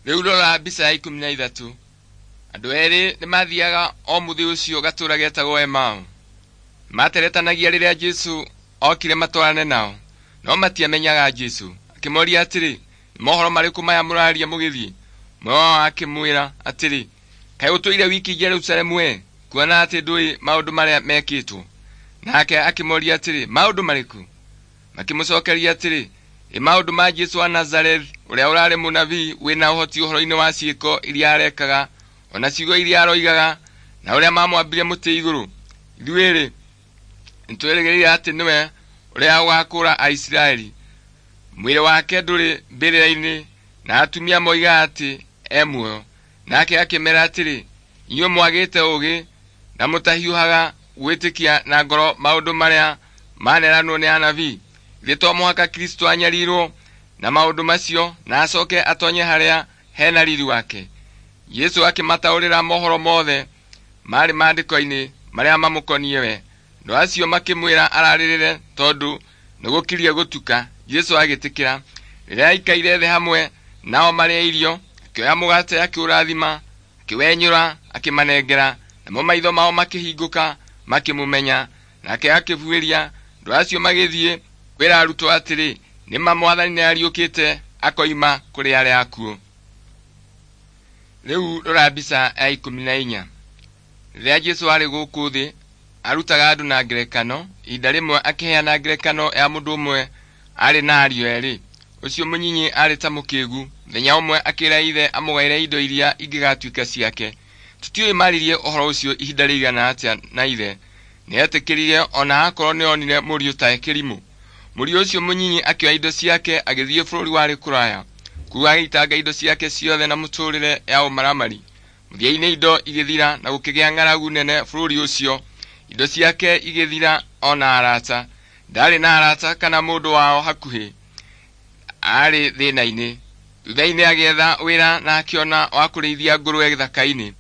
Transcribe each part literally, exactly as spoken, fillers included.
Rĩu rora mbica ya ikũmi na ithatũ. Andũ erĩ nĩmathiaga o mũthĩ ũcio gatũũra getagwo Emau. Materetanagia rĩrĩa Jesũ okire matwarane nao, no matiamenyaga Jesũ. Akĩmoria atĩrĩ, nĩ mohoro marĩkũ maya mũraria mũgĩthiĩ? Ũmwe wao akĩmwĩra atĩrĩ, kaĩ ũtũire wiki Jerusalemu we, kuona atĩ ndũĩ maũndũ marĩa mekĩtwo? Nake akĩmoria atĩrĩ, maũndũ marĩkũ? Makĩmũcokeria atĩrĩ, ĩ maũndũ ma Jesũ wa Nazarethi, ũrĩa ũrarĩ mũnabii wĩna ũhoti ũhoro-inĩ wa ciĩko iria arekaga, ona ciugo iria aroigaga, na ũrĩa mamwambire mũtĩ igũrũ. Ithuĩ-rĩ, nĩtwĩrĩgĩrĩire atĩ nĩwe ũrĩa ũgakũũra Aisiraeli. Mwĩrĩ wake ndũrĩ mbĩrĩra-inĩ, na atumia moigaga atĩ e muoyo. Nake akĩmera atĩrĩ, inyuĩ mwagĩte ũũgĩ na mũtahiũhaga gwĩtĩkia na ngoro maũndũ marĩa maneranwo nĩ anabii. Githĩ to mũhaka Kristũ anyarirwo na maũndũ macio na acoke atonye harĩa hena riri wake? Jesũ akĩmataũrĩra mohoro mothe marĩ maandĩko-inĩ marĩa mamũkoniĩ we. Andũ acio makĩmwĩra ararĩrĩre tondũ nĩgũkirie gũtuka. Jesũ agĩtĩkĩra. Rĩrĩa aikaire thĩ hamwe nao marĩe irio, akĩoya mũgate akĩũrathima, akĩwenyũra, akĩmanengera, namo maitho mao makĩhingũka makĩmũmenya. Nake akĩbuĩria. Andũ acio magĩthiĩ kwĩra arutwo atĩrĩ, nĩma Mwathani nĩariũkĩte akoima kũrĩ arĩa akuũ. Rĩu rora mbica ya ikũmi na inya. Rĩrĩa Jesũ arĩ gũkũ thĩ, arutaga andũ na ngerekano. Ihinda rĩmwe akĩheana ngerekano ya mũndũ ũmwe arĩ na ariũ erĩ. Ũcio mũnyinyi arĩ ta mũkĩgu. Mũthenya ũmwe akĩra ithe amũgaĩre indo iria ingĩgatuĩka ciake. Tũtiũĩ maririe ũhoro ũcio ihinda rĩigana atĩa na ithe. Nĩetĩkĩrire ona akorwo nĩonire mũriũ ta kĩrimũ. Mũriũ ũcio mũnyinyi akĩoya indo ciake agĩthiĩ bũrũri warĩ kũraya. Kũu agĩitanga indo ciake ciothe na mũtũrĩre ya ũmaramari. Mũthia-inĩ indo igĩthira na gũkĩgĩa ng'aragu nene bũrũri ũcio. Indo ciake igĩthira ona arata. Ndarĩ na arata kana mũndũ wao hakuhĩ. Aarĩ thĩna-inĩ. Thutha-inĩ agĩetha wĩra na akĩona wa kũrĩithia ngũrwe gĩthaka-inĩ.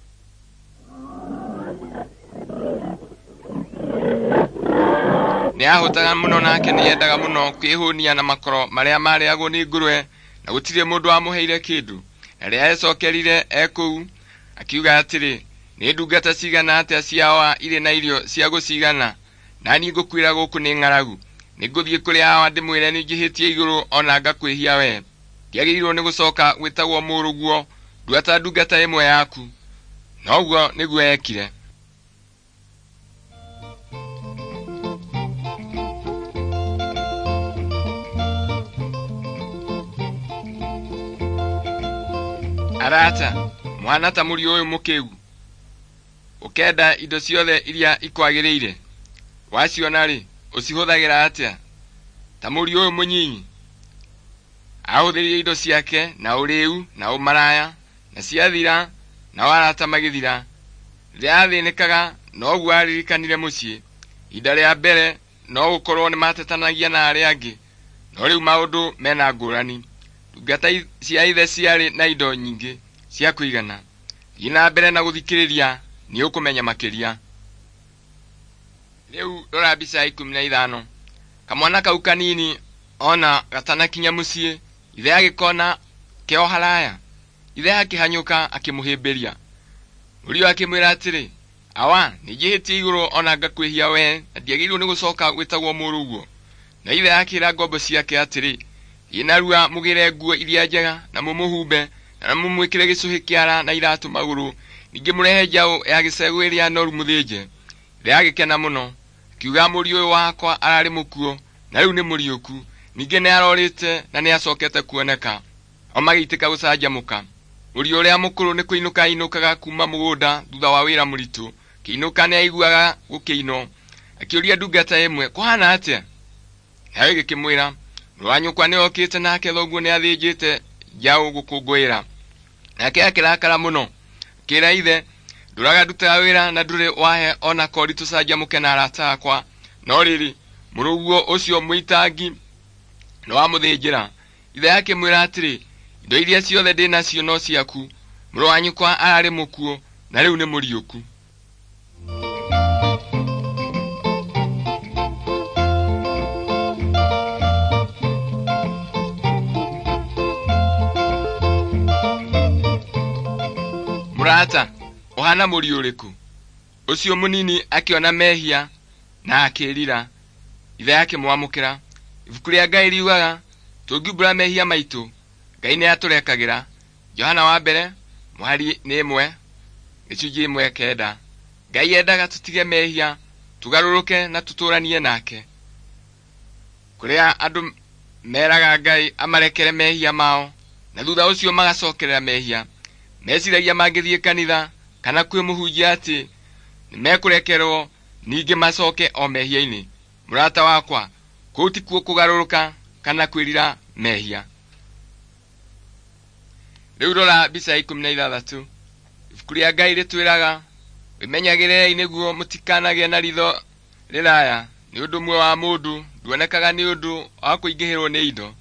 Nĩahũtaga mũno nake nĩendaga mũno kwĩhũnia na makoro marĩa marĩagwo nĩ ngũrwe na gũtirĩ mũndũ wamũheire kĩndũ. Na rĩrĩa ecokerire e kũu, akiuga atĩrĩ, nĩ ndungata cigana atĩa cia awa irĩ na irio cia gũcigana, na niĩ ngũkuĩra gũkũ nĩ ng'aragu. Nĩngũthiĩ kũrĩ awa ndĩmwĩre nĩnjĩhĩtie igũrũ ona ngakwĩhia we. Ndiagĩrĩirwo nĩ gũcoka gwĩtagwo mũrũguo, ndua ta ndungata ĩmwe yaku. Noguo nĩguo ekire. Arata, mwana ta mũriũ ũyũ mũkĩgu, ũkenda indo ciothe iria ikwagĩrĩire, waciona-rĩ, ũcihũthagĩra atĩa? Ta mũriũ ũyũ mũnyinyi, ahũthĩrire indo ciake na ũrĩu na ũmaraya, na ciathira, nao arata magĩthira. Rĩrĩa athĩnĩkaga, noguo aririkanire mũciĩ. Ihinda rĩa mbere no gũkorwo nĩmatetanagia na arĩa angĩ, no rĩu maũndũ mena ngũrani. Ndungata cia ithe ciarĩ na indo nyingĩ cia kũigana. Thiĩ na mbere na gũthikĩrĩria nĩũkũmenya makĩria. Rĩu rora mbica ya ikũmi na ithano. Kamwana kau kanini ona gatanakinya mũciĩ, ithe agĩkona keo haraya. Ithe akĩhanyũka akĩmũhĩmbĩria. Mũriũ akĩmwĩra atĩrĩ, awa, nĩnjĩhĩtie igũrũ ona ngakwĩhia we, na ndiagĩrĩirwo nĩ gũcoka gwĩtagwo mũrũguo. Na ithe akĩra ngombo ciake atĩrĩ, thiĩ narua mũgĩre nguo iria njega na mũmũhumbe na mũmwĩkĩre gĩcũhĩ kĩara na iratũ magũrũ, ningĩ mũrehe njaũ ya gĩcegũ ĩrĩa noru mũthĩnje. Ithe agĩkena mũno, akiuga mũriũ ũyũ wakwa ararĩ mũkuũ na rĩu nĩ mũriũku, ningĩ nĩarorĩte na nĩacokete kuoneka. O magĩitĩka gũcanjamũka. Mũriũ ũrĩa mũkũrũ nĩ kũinũka ainũkaga kuma mũgũnda thutha wa wĩra mũritũ. Kĩinũka nĩaiguaga gũkĩinwo. Akĩũria ndungata ĩmwe, kũhana atĩa? Nayo ĩgĩkĩmwĩra, mũrũ wa nyũkwa nĩokĩte nake thoguo nĩathĩnjĩte njaũ gũkũngũĩra. Nake akĩrakara mũno, akĩra ithe, ndũraga ndutaga wĩra na ndũrĩ wahe ona kori tũcanjamũke na arata akwa. No rĩrĩ, mũrũguo ũcio mũitangi nĩwamũthĩnjĩra. Ithe akĩmwĩra atĩrĩ, indo iria ciothe ndĩ nacio no ciaku. Mũrũ wa nyũkwa ararĩ mũkuũ na rĩu nĩ mũriũku. Mũrata, ũhana mũriũ ũrĩkũ? Ũcio mũnini akĩona mehia na akĩĩrira, ithe akĩmwamũkĩra. Ibuku rĩa Ngai riugaga tũngiumbũra mehia maitũ, Ngai nĩatũrekagĩra. Johana wa mbere mũhari nĩ ĩmwe gĩcunjĩ ĩmwe kenda. Ngai endaga tũtige mehia, tũgarũrũke na tũtũranie nake. Kũrĩa andũ meraga Ngai amarekere mehia mao na thutha ũcio magacokerera mehia, meciragia mangĩthiĩ kanitha kana kwĩ mũhunjia atĩ nĩmekũrekerwo ningĩ macoke o mehia-inĩ. Mũrata wakwa, kũu tikuo kũgarũrũka kana kwĩrira mehia. Rĩu rora mbica ya ikũmi na ithathatũ. Ibuku rĩa Ngai rĩtwĩraga wĩmenyagĩrĩrei nĩguo mũtikanagĩe na ritho rĩraya, nĩ ũndũ muoyo wa mũndũ nduonekaga nĩ ũndũ wa kũingĩhĩrwo nĩ indo.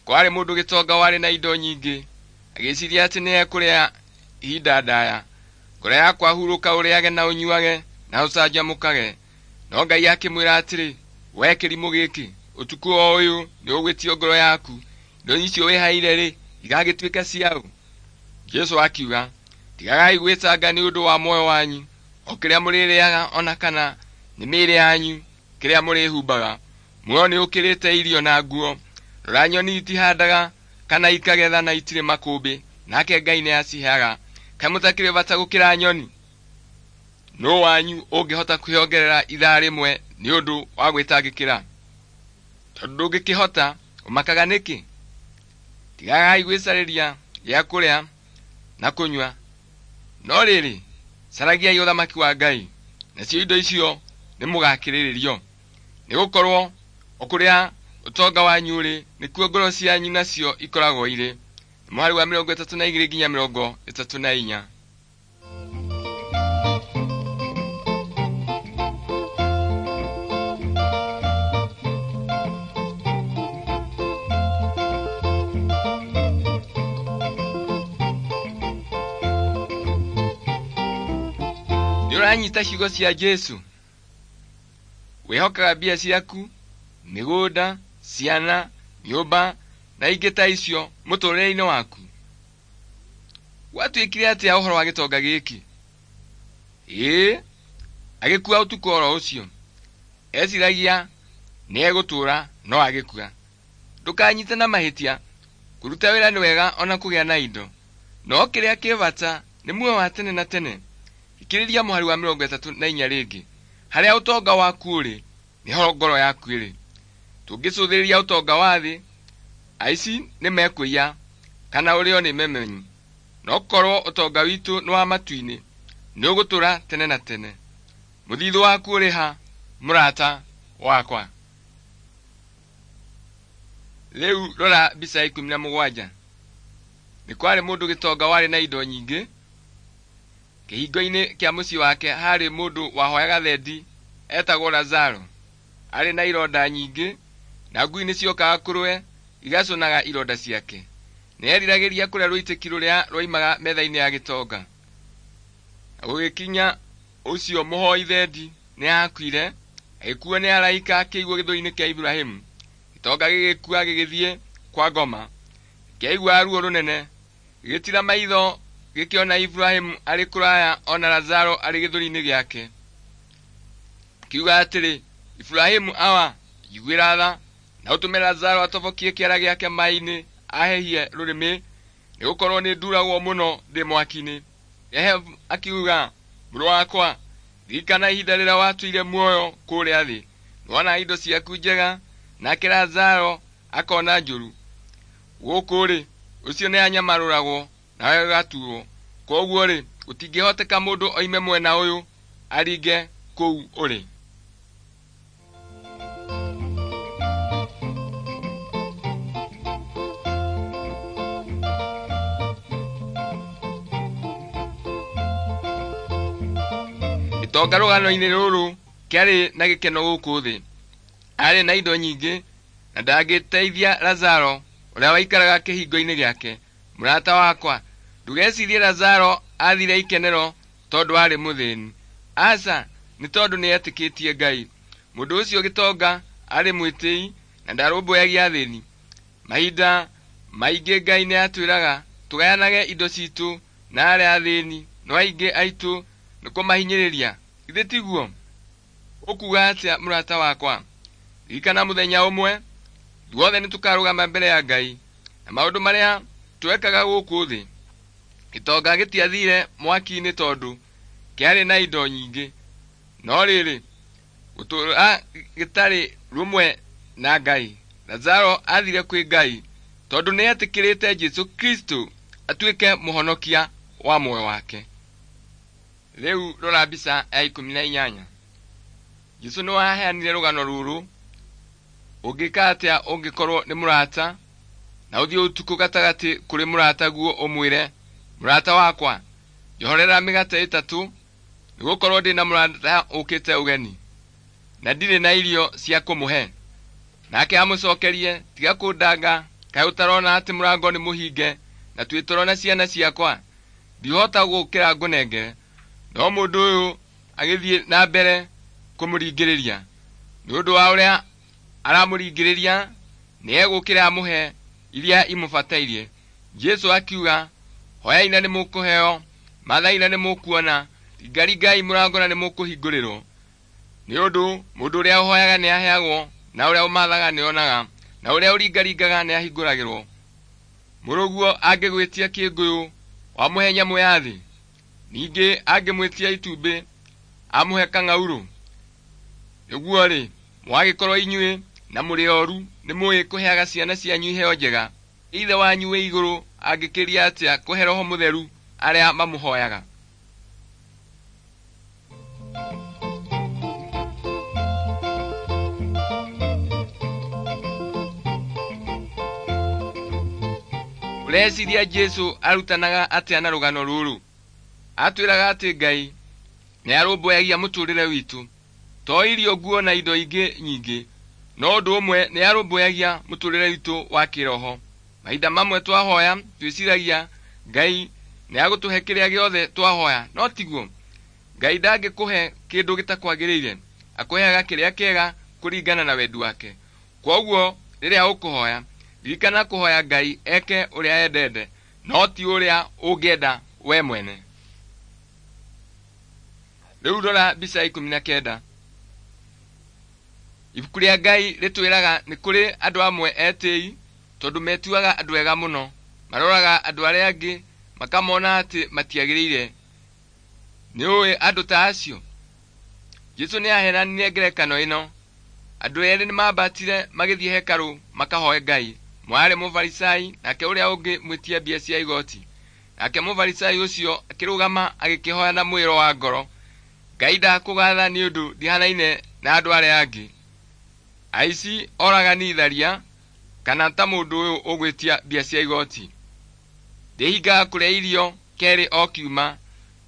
Kwarĩ mũndũ gĩtonga warĩ na indo nyingĩ, agĩciria atĩ nĩekũrĩa ihinda ndaya. Ngoro yakwa hurũka ũrĩage na ũnyuage na ũcanjamũkage. No Ngai akĩmwĩra atĩrĩ, we kĩrimũ gĩkĩ, ũtukũ o ũyũ nĩũgwĩtio ngoro yaku, indo icio wĩhaire-rĩ, igagĩtuĩka ciaũ? Jesũ akiuga, tigagai gwĩtanga nĩ ũndũ wa muoyo wanyu, o kĩrĩa mũrĩrĩaga ona kana nĩ mĩĩrĩ yanyu kĩrĩa mũrĩhumbaga. Muoyo nĩũkĩrĩte irio na nguo. Rora nyoni itihandaga kana ikagetha na itirĩ makũmbĩ, nake Ngai nĩaciheaga. Kaĩ mũtakĩrĩ bata gũkĩra nyoni? Nũũ wanyu ũngĩhota kwĩongerera ithaa rĩmwe nĩ ũndũ wa gwĩtangĩkĩra? Tondũ ndũngĩkĩhota, ũmakaga nĩkĩ? Tigagai gwĩcarĩria gĩa kũrĩa na kũnyua, no rĩrĩ, caragiai ũthamaki wa Ngai, nacio indo icio nĩmũgakĩrĩrĩrio. Nĩgũkorwo o kũrĩa ũtonga wanyu ũrĩ, nĩkuo ngoro cianyu nacio ikoragwo irĩ. Mũhari wa mĩrongo ĩtatũ na igĩrĩ nginya mĩrongo ĩtatũ na inya. Nĩũranyita ciugo cia Jesũ? Wĩhokaga mbia ciaku, mĩgũnda, ciana, nyũmba na ingĩ ta icio mũtũrĩre-inĩ waku? Gwatuĩkire atĩa ũhoro wa gĩtonga gĩkĩ? Ĩĩ, agĩkua ũtukũ oro ũcio. Eciragia nĩegũtũũra no agĩkua. Ndũkanyite na mahĩtia, kũruta wĩra nĩ wega ona kũgĩa na indo, no kĩrĩa kĩ bata nĩ muoyo wa tene na tene. Ikĩrĩria mũhari wa mĩrongo ĩtatũ na inya rĩngĩ. Harĩa ũtonga waku ũrĩ, nĩho ngoro yaku ĩrĩ. Tũngĩcũthĩrĩria ũtonga wa thĩ, aici nĩmekũiya kana ũrĩo nĩ memenyi. No korwo ũtonga witũ nĩ wa matu-inĩ, nĩũgũtũũra tene na tene. Mũthithũ waku ũrĩ ha, mũrata wakwa? Rĩu rora mbica ya ikũmi na mũgwanja. Nĩ kwarĩ mũndũ gĩtonga warĩ na indo nyingĩ. Kĩhingo-inĩ kĩa mũciĩ wake harĩ mũndũ wahoyaga thendi etagwo Lazaro. Arĩ na ironda nyingĩ, na ngui nĩciokaga kũrĩ we igacũnaga ironda ciake. Nĩeriragĩria kũrĩa rũitĩki rũrĩa rwoimaga metha-inĩ ya gĩtonga. Na gũgĩkinya ũcio mũhoi thendi nĩakuire, agĩkuo nĩ araika akĩigwo gĩthũri-inĩ kĩa Iburahĩmu. Gĩtonga gĩgĩkua gĩgĩthiĩ kwa ngoma. Kĩaigua ruo rũnene, gĩgĩtiira maitho gĩkĩona Iburahĩmu arĩ kũraya ona Lazaro arĩ gĩthũri-inĩ gĩake. Kiuga atĩrĩ, Iburahĩmu awa, njiguĩra tha, na ũtũme Lazaro atobokie kĩara gĩake maaĩ-inĩ ahehie rũrĩmĩ, nĩgũkorwo nĩnduragwo mũno ndĩ mwaki-inĩ. Ehebu akiuga, mũrũ wakwa, ririkana ihinda rĩrĩa watũire muoyo kũrĩa thĩ, nĩwona indo ciaku njega, nake Lazaro akona njũru. Gũkũ-rĩ, ũcio nĩanyamarũragwo nawe ũgaturwo. Kwoguo-rĩ, gũtingĩhoteka mũndũ oime mwena ũyũ aringe kũu ũrĩ. Gĩtonga rũgano-inĩ rũrũ kĩarĩ na gĩkeno gũkũ thĩ. Arĩ na indo nyingĩ na ndangĩteithia Lazaro ũrĩa waikaraga kĩhingo-inĩ gĩake. Mũrata wakwa, ndũgecirie Lazaro athire ikenero tondũ arĩ mũthĩni. Aca, nĩ tondũ nĩetĩkĩtie Ngai. Mũndũ ũcio gĩtonga arĩ mwĩtĩi na ndarũmbũyagia athĩni. Mahinda maingĩ Ngai nĩatwĩraga tũgayanage indo citũ na arĩa athĩni No aingĩ aitũ nĩ kũmahinyĩrĩria. Githĩ tiguo? Ũkuuga atĩa mũrata wakwa? Ririkana mũthenya ũmwe ithuothe nĩtũkarũgama mbere ya Ngai na maũndũ marĩa twekaga gũkũ thĩ. Gĩtonga gĩtiathire mwaki-inĩ tondũ kĩarĩ na indo nyingĩ, no rĩrĩ, gũtũũra gĩtarĩ rũmwe na Ngai. Lazaro athire kwĩ Ngai tondũ nĩetĩkĩrĩte Jesũ Kristo atuĩke mũhonokia wa muoyo wake. Rĩu rora mbica ya ikũmi na inyanya. Jesũ nĩwaheanire rũgano rũrũ. Ũngĩka atĩa ũngĩkorwo nĩ mũrata na ũthiĩ ũtukũ gatagatĩ kũrĩ mũrataguo ũmwĩre, mũrata wakwa, njohorera mĩgate ĩtatũ, nĩgũkorwo ndĩ na mũrata ũkĩte ũgeni na ndirĩ na irio cia kũmũhe. Nake amũcokerie, tiga kũndanga, kaĩ ũtarona atĩ mũrango nĩ mũhinge na twĩ toro na ciana ciakwa? Ndihota gũũkĩra ngũnengere. No mũndũ ũyũ agĩthiĩ na mbere kũmũringĩrĩria. Nĩ ũndũ wa ũrĩa aramũringĩrĩria, nĩegũũkĩra amũhe iria imũbatairie. Jesũ akiuga, hoyai na nĩmũkũheo, mathai na nĩmũkuona, ringaringai mũrango na nĩmũkũhingũrĩrwo. Nĩ ũndũ mũndũ ũrĩa ũhoyaga nĩaheagwo, na ũrĩa ũmathaga nĩonaga, na ũrĩa ũringaringaga nĩahingũragĩrwo. Mũrũguo angĩgwĩtia kĩngũyũ, wamũhe nyamũ ya thĩ? Ningĩ angĩmwĩtia itumbĩ, amũhe kang'aurũ? Nĩguo-rĩ, mwagĩkorwo inyuĩ na mũrĩ oru nĩmũũĩ kũheaga ciana cianyu iheo njega, Ithe wanyu wĩ igũrũ angĩkĩria atĩa kũhe Roho Mũtheru arĩa mamũhoyaga? Ũreciria Jesũ arutanaga atĩa na rũgano rũrũ? Atwĩraga atĩ Ngai nĩarũmbũyagia mũtũũrĩre witũ, to irio, nguo na indo ingĩ nyingĩ, no ũndũ ũmwe nĩarũmbũyagia mũtũũrĩre witũ wa kĩroho. Mahinda mamwe twahoya twĩciragia Ngai nĩagũtũhe kĩrĩa gĩothe twahoya, no tiguo. Ngai ndangĩkũhe kĩndũ gĩtakwagĩrĩire, akũheaga kĩrĩa kĩega kũringana na wendi wake. Kwoguo rĩrĩa ũkũhoya, ririkana kũhoya Ngai eke ũrĩa endete, no ti ũrĩa ũngĩenda we mwene. Rĩu rora mbica ya ikũmi na kenda. Ibuku rĩa Ngai rĩtwĩraga nĩ kũrĩ andũ amwe etĩi tondũ metuaga andũ ega mũno, maroraga andũ arĩa angĩ makamona atĩ matiagĩrĩire. Nĩũĩ andũ ta acio? Jesũ nĩaheanire ngerekano ĩno. Andũ erĩ nĩmambatire magĩthiĩ hekarũ makahoe Ngai. Ũmwe aarĩ Mũfarisai nake ũrĩa ũngĩ mwĩtia mbia cia igoti. Nake Mũfarisai ũcio akĩrũgama agĩkĩhoya na mwĩĩro wa ngoro, Ngai ndakũgatha nĩ ũndũ ndihanaine na andũ arĩa angĩ, aici, oragani, tharia, kana ta mũndũ ũyũ ũgwĩtia mbia cia igoti. Ndĩhingaga kũrĩa irio kerĩ o kiuma,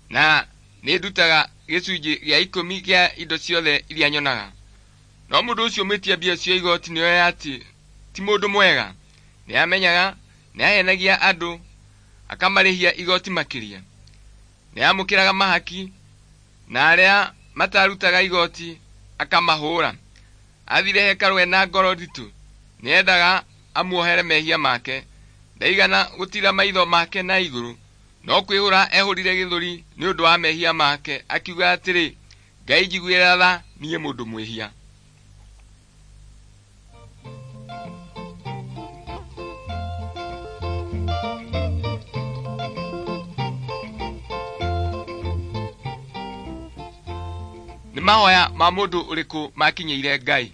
na nĩndutaga gĩcunjĩ gĩa ikũmi kĩa indo ciothe iria nyonaga. No mũndũ ũcio mwĩtia mbia cia igoti nĩoĩ atĩ ti mũndũ mwega. Nĩamenyaga nĩahenagia andũ akamarĩhia igoti makĩria. Nĩamũkĩraga mahaki na arĩa matarutaga igoti akamahũũra. Athire hekarũ ena ngoro nditũ, nĩendaga amuohere mehia make. Ndaigana gũtiira maitho make na igũrũ, no kwĩhũra ehũrire gĩthũri nĩ ũndũ wa mehia make, akiuga atĩrĩ, Ngai njiguĩra tha niĩ mũndũ mwĩhia. Nĩ mahoya ma mũndũ ũrĩkũ makinyĩire Ngai?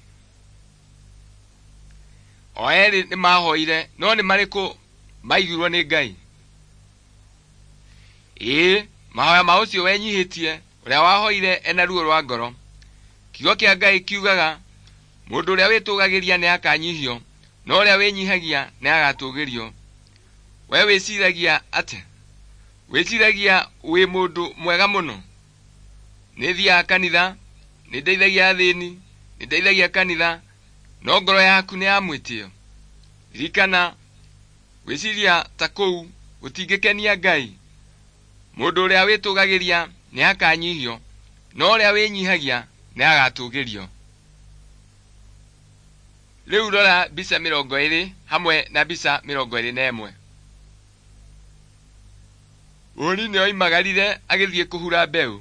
O erĩ nĩmahoire, no nĩ marĩkũ maiguirwo nĩ Ngai? Ĩĩ, mahoya ma ũcio wenyihĩtie, ũrĩa wahoire ena ruo rwa ngoro. Kiugo kĩa Ngai kiugaga, mũndũ ũrĩa wĩtũgagĩria nĩakanyihio, no ũrĩa wĩnyihagia nĩagatũgĩrio. We wĩciragia atĩa? Wĩciragia wĩ mũndũ mwega mũno? Nĩthiaga kanitha, nĩndeithagia athĩni, nĩndeithagia kanitha, no ngoro yaku nĩ ya mwĩtĩo. Ririkana, gwĩciria ta kũu gũtingĩkenia Ngai. Mũndũ ũrĩa wĩtũgagĩria nĩakanyihio, no ũrĩa wĩnyihagia nĩagatũgĩrio. Rĩu rora mbica mĩrongo ĩrĩ hamwe na mbica mĩrongo ĩrĩ na ĩmwe. Mũhuri nĩoimagarire agĩthiĩ kũhura mbeũ.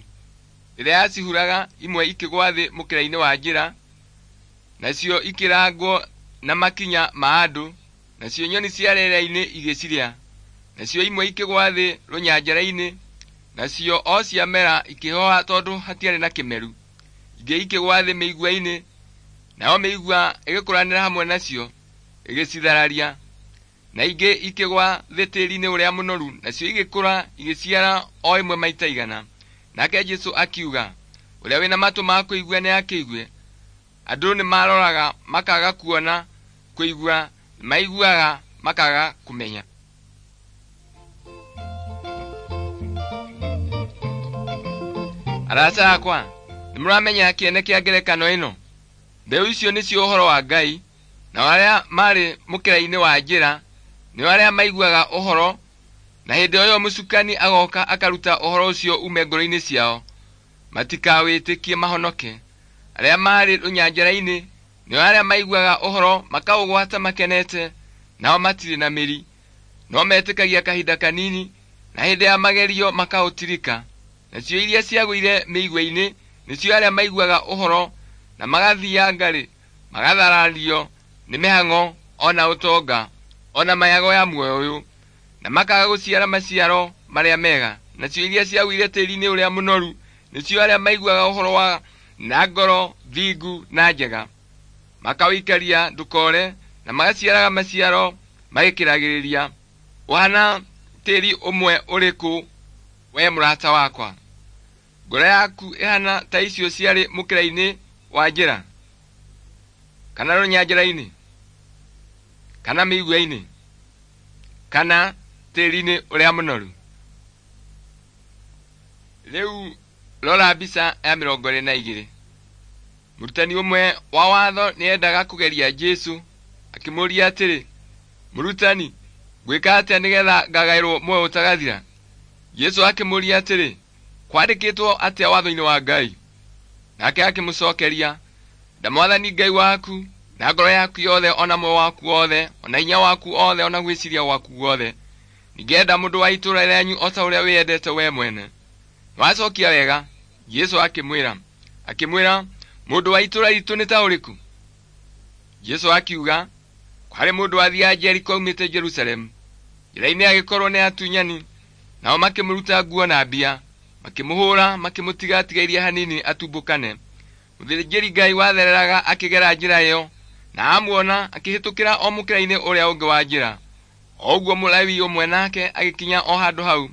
Rĩrĩa acihuraga, imwe ikĩgwa thĩ mũkĩra-inĩ wa njĩra, nacio ikĩrangwo na makinya ma andũ, nacio nyoni cia rĩera-inĩ igĩcirĩa. Nacio imwe ikĩgwa thĩ rũnyanjara-inĩ, nacio o ciamera ikĩhoha tondũ hatiarĩ na kĩmeru. Ingĩ ikĩgwa thĩ mĩigua-inĩ, nayo mĩigua ĩgĩkũranĩra hamwe nacio ĩgĩcithararia. Na ingĩ ikĩgwa thĩ tĩĩri-inĩ ũrĩa mũnoru, nacio igĩkũra igĩciara o ĩmwe maita igana. Nake Jesũ akiuga, ũrĩa wĩna matũ ma kũigua nĩakĩigue. Andũ nĩmaroraga makaga kuona, kũigua maiguaga makaga kũmenya. Arata akwa, nĩmũramenya kĩene kĩa ngerekano ĩno? Mbeũ icio nĩcio ũhoro wa Ngai, nao arĩa marĩ mũkĩra-inĩ wa njĩra nĩo arĩa maiguaga ũhoro, na hĩndĩ o ĩyo mũcukani agoka akaruta ũhoro ũcio ume ngoro-inĩ ciao, matikawĩtĩkie mahonoke. Arĩa marĩ rũnyanjara-inĩ nĩo arĩa maiguaga ũhoro makaũgwata makenete, nao matirĩ na mĩri, no metĩkagia kahinda kanini, na hĩndĩ ya magerio makaũtirika. Nacio iria ciagũire mĩigua-inĩ nĩcio arĩa maiguaga ũhoro na magathianga-rĩ, magatharario nĩ mĩhang'o ona ũtonga ona mayago ya muoyo ũyũ, na makaga gũciara maciaro marĩa mega. Nacio iria ciagũire tĩĩri-inĩ ũrĩa mũnoru nĩcio arĩa maiguaga ũhoro wa na ngoro thingu na njega, makawĩikaria ndũkore, na magaciaraga maciaro magĩkĩragĩrĩria. Ũhana tĩĩri ũmwe ũrĩkũ we mũrata wakwa? Ngoro yaku ĩhana ta icio ciarĩ mũkĩra-inĩ wa njĩra, kana rũnyanjara-inĩ, kana mĩigua-inĩ, kana tĩĩri-inĩ ũrĩa mũnoru? Rĩu rora mbica ya mĩrongo ĩrĩ na igĩrĩ. Mũrutani ũmwe wa watho nĩendaga kũgeria Jesũ, akĩmũũria atĩrĩ, Mũrutani, ngwĩka atĩa nĩgetha ngagaĩrwo muoyo ũtagathira? Jesũ akĩmũũria atĩrĩ, kwandĩkĩtwo atĩa watho-inĩ wa Ngai? Nake akĩmũcookeria, nda Mwathani Ngai waku na ngoro yaku yothe, ona muoyo waku wothe, ona hinya waku wothe, ona gwĩciria gwaku guothe. Ningĩ enda mũndũ wa itũũra rĩanyu o ta ũrĩa wĩyendete we mwene. Nĩwacookia wega, Jesũ akĩmwĩra. Akĩmwĩra, mũndũ wa itũũra ritũ nĩ ta ũrĩkũ? Jesũ akiuga, kwarĩ mũndũ wathiaga Jeriko aumĩte Jerusalemu. Njĩra-inĩ agĩkorwo nĩ atunyani, nao makĩmũruta nguo na mbia, makĩmũhũũra, makĩmũtiga atigairie hanini atumbũkane. Mũthĩnjĩri Ngai wathereraga akĩgera njĩra ĩyo, na amuona akĩhĩtũkĩra o mũkĩra-inĩ ũrĩa ũngĩ wa njĩra. O ũguo Mũlawi ũmwe nake agĩkinya o handũ hau,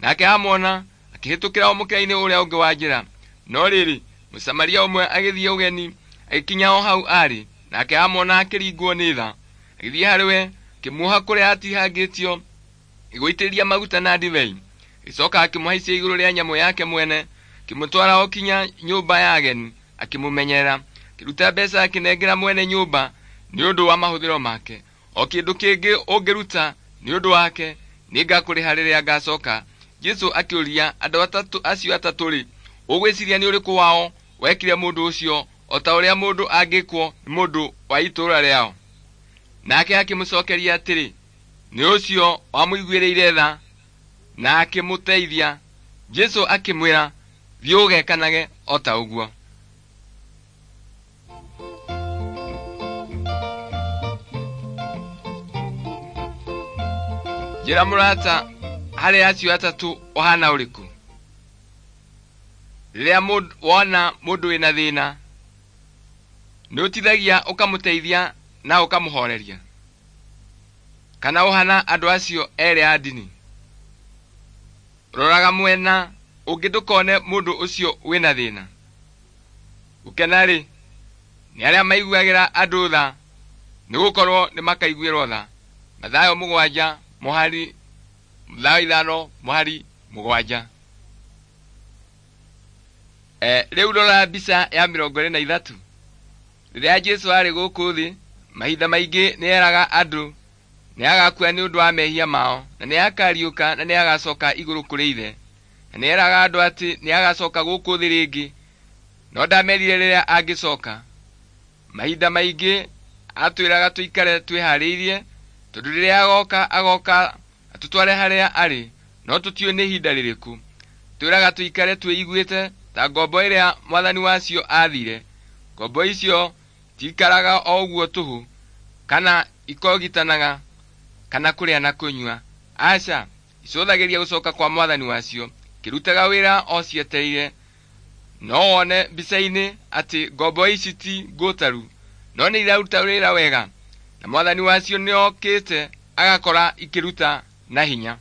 nake amuona akĩhĩtũkĩra o mũkĩra-inĩ ũrĩa ũngĩ wa njĩra. No rĩrĩ, Mũsamaria ũmwe agĩthiĩ ũgeni, agĩkinya o hau aarĩ, nake amuona akĩringwo nĩ tha. Agĩthiĩ harĩ we, akĩmuoha kũrĩa aatihangĩtio, agĩgũitĩrĩria maguta na ndibei. Agĩcooka akĩmũhaicia igũrũ rĩa nyamũ yake mwene, akĩmũtwara o kinya nyũmba ya ageni, akĩmũmenyerera. Akĩruta mbeca akĩnengera mwene nyũmba nĩ ũndũ wa mahũthĩro make. O kĩndũ kĩngĩ ũngĩruta nĩ ũndũ wake, nĩngakũrĩha rĩrĩa ngacooka. Jesũ akĩũria andũ atatũ acio atatũ-rĩ, ũgwĩciria nĩ ũrĩkũ wao wekire mũndũ ũcio o ta ũrĩa mũndũ angĩkwo nĩ mũndũ wa itũũra rĩao? Nake akĩmũcookeria atĩrĩ, nĩ ũcio wamũiguĩrĩire tha na akĩmũteithia. Jesũ akĩmwĩra, thiĩ ũgekanage o ta ũguo. Njĩra mũrata, harĩ acio atatũ ũhana ũrĩkũ? Rĩrĩa wona mũndũ wĩna thĩna, nĩũtithagia ũkamũteithia na ũkamũhoreria? Kana ũhana andũ acio erĩ a ndini? Roraga mwena ũngĩ ndũkone mũndũ ũcio wĩna thĩna. Gũkena-rĩ, nĩ arĩa maiguagĩra andũ tha, nĩgũkorwo nĩmakaiguĩrwo tha. Mathayo mũgwanja mũhari Mathayo ithano mũhari mũgwanja. E, rĩu rora mbica ya mĩrongo ĩrĩ na ithatũ. Rĩrĩa Jesũ aarĩ gũkũ thĩ, mahinda maingĩ nĩeraga andũ nĩagakua nĩ ũndũ wa mehia mao, na nĩakariũka na nĩagacoka igũrũ kũrĩ Ithe. Na nĩeraga andũ atĩ nĩagacoka gũkũ thĩ rĩngĩ, no ndamerire rĩrĩa angĩcoka. Mahinda maingĩ atwĩraga tũikare twĩharĩirie, tondũ rĩrĩa agoka agoka atũtware harĩa arĩ. no tũtiũĩ nĩ ihinda rĩrĩkũ. Twĩraga tũikare twĩiguĩte ta ngombo ĩrĩa mwathani wacio aathire. Ngombo icio tiikaraga o ũguo tũhũ, kana ikogitanaga kana kũrĩa na kũnyua. Aca, icũthagĩria gũcoka kwa mwathani wacio, ikĩrutaga wĩra o cietereire. No wone mbica-inĩ atĩ ngombo ici ti ngũtaru, no nĩ iraruta wĩra wega, na mwathani wacio nĩokĩte agakora ikĩruta na hinya.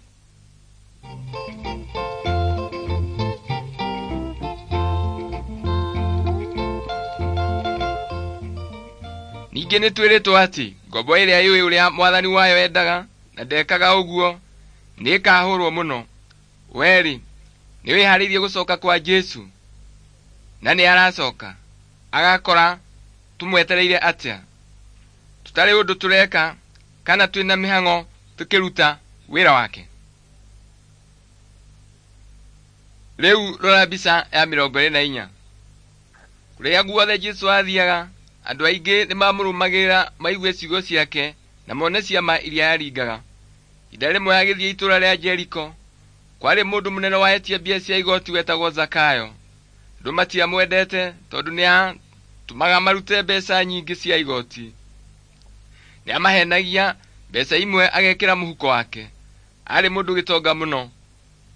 Ningĩ nĩtwĩrĩtwo atĩ ngombo ĩrĩa yũĩ ũrĩa mwathani wayo endaga na ndekaga ũguo nĩĩkahũrwo mũno. Werĩ, nĩwĩharĩirie gũcoka kwa Jesũ? Na nĩaracoka agakora tũmwetereire atĩa? Tũtarĩ ũndũ tũreka kana twĩna mĩhang'o tũkĩruta wĩra wake? Rĩu rora mbica ya mĩrongo ĩrĩ na inya. Kũrĩa guothe Jesũ aathiaga, andũ aingĩ nĩmamũrũmagĩrĩra maigue ciugo ciake na mone ciama iria aaringaga. Ihinda rĩmwe agĩthiĩ itũũra rĩa Jeriko, kwarĩ mũndũ mũnene wa etia mbia cia igoti wetagwo Zakayo. Andũ matiamwendete tondũ nĩatũmaga marute mbeca nyingĩ cia igoti. Nĩamahenagia mbeca imwe agekĩra mũhuko wake. Aarĩ mũndũ gĩtonga mũno.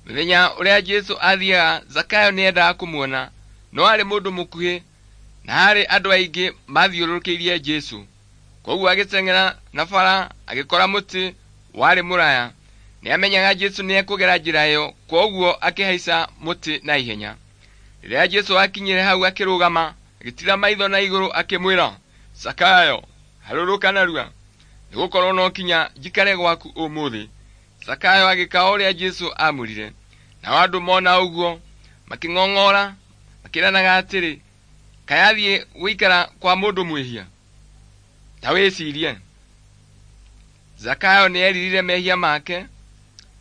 Mũthenya ũrĩa Jesũ aathiaga, Zakayo nĩendaga kũmuona, no aarĩ mũndũ mũkuhĩ na haarĩ andũ aingĩ mathiũrũrũkĩirie Jesũ. Kwoguo agĩteng'era na bara agĩkora mũtĩ warĩ mũraya. Nĩamenyaga Jesũ nĩekũgera njĩra ĩyo, kwoguo akĩhaica mũtĩ na ihenya. Rĩrĩa Jesũ aakinyire hau akĩrũgama, agĩtiira maitho na igũrũ akĩmwĩra, Zakayo, harũrũka narua, nĩgũkorwo no kinya njikare gwaku ũmũthĩ. Zakayo agĩka o ũrĩa Jesũ aamwĩrire. Nao andũ mona ũguo makĩng'ong'ora makĩranaga atĩrĩ, kaĩ athiĩ gũikara kwa mũndũ mwĩhia? Ta wĩcirie. Zakayo nĩeririre mehia make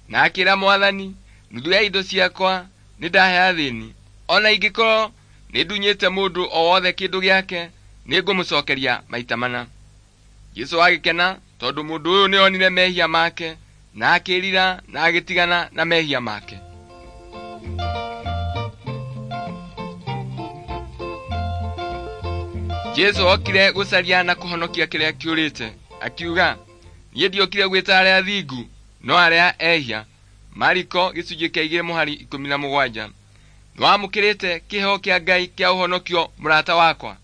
na akĩra Mwathani, nuthu ya indo ciakwa nĩndahe athĩni. Ona ingĩkorwo nĩndunyĩte mũndũ o wothe kĩndũ gĩake, nĩngũmũcokeria maita mana. Jesũ agĩkena tondũ mũndũ ũyũ nĩonire mehia make na akĩĩrira na agĩtigana na mehia make. Jesũ okire gũcaria na kũhonokia kĩrĩa kĩũrĩte, akiuga, niĩ ndiokire gwĩta arĩa athingu, no arĩa ehia. Mariko gĩcunjĩ kĩa igĩrĩ mũhari ikũmi na mũgwanja. Nĩwamũkĩrĩte kĩheo kĩa Ngai kĩa ũhonokio mũrata wakwa?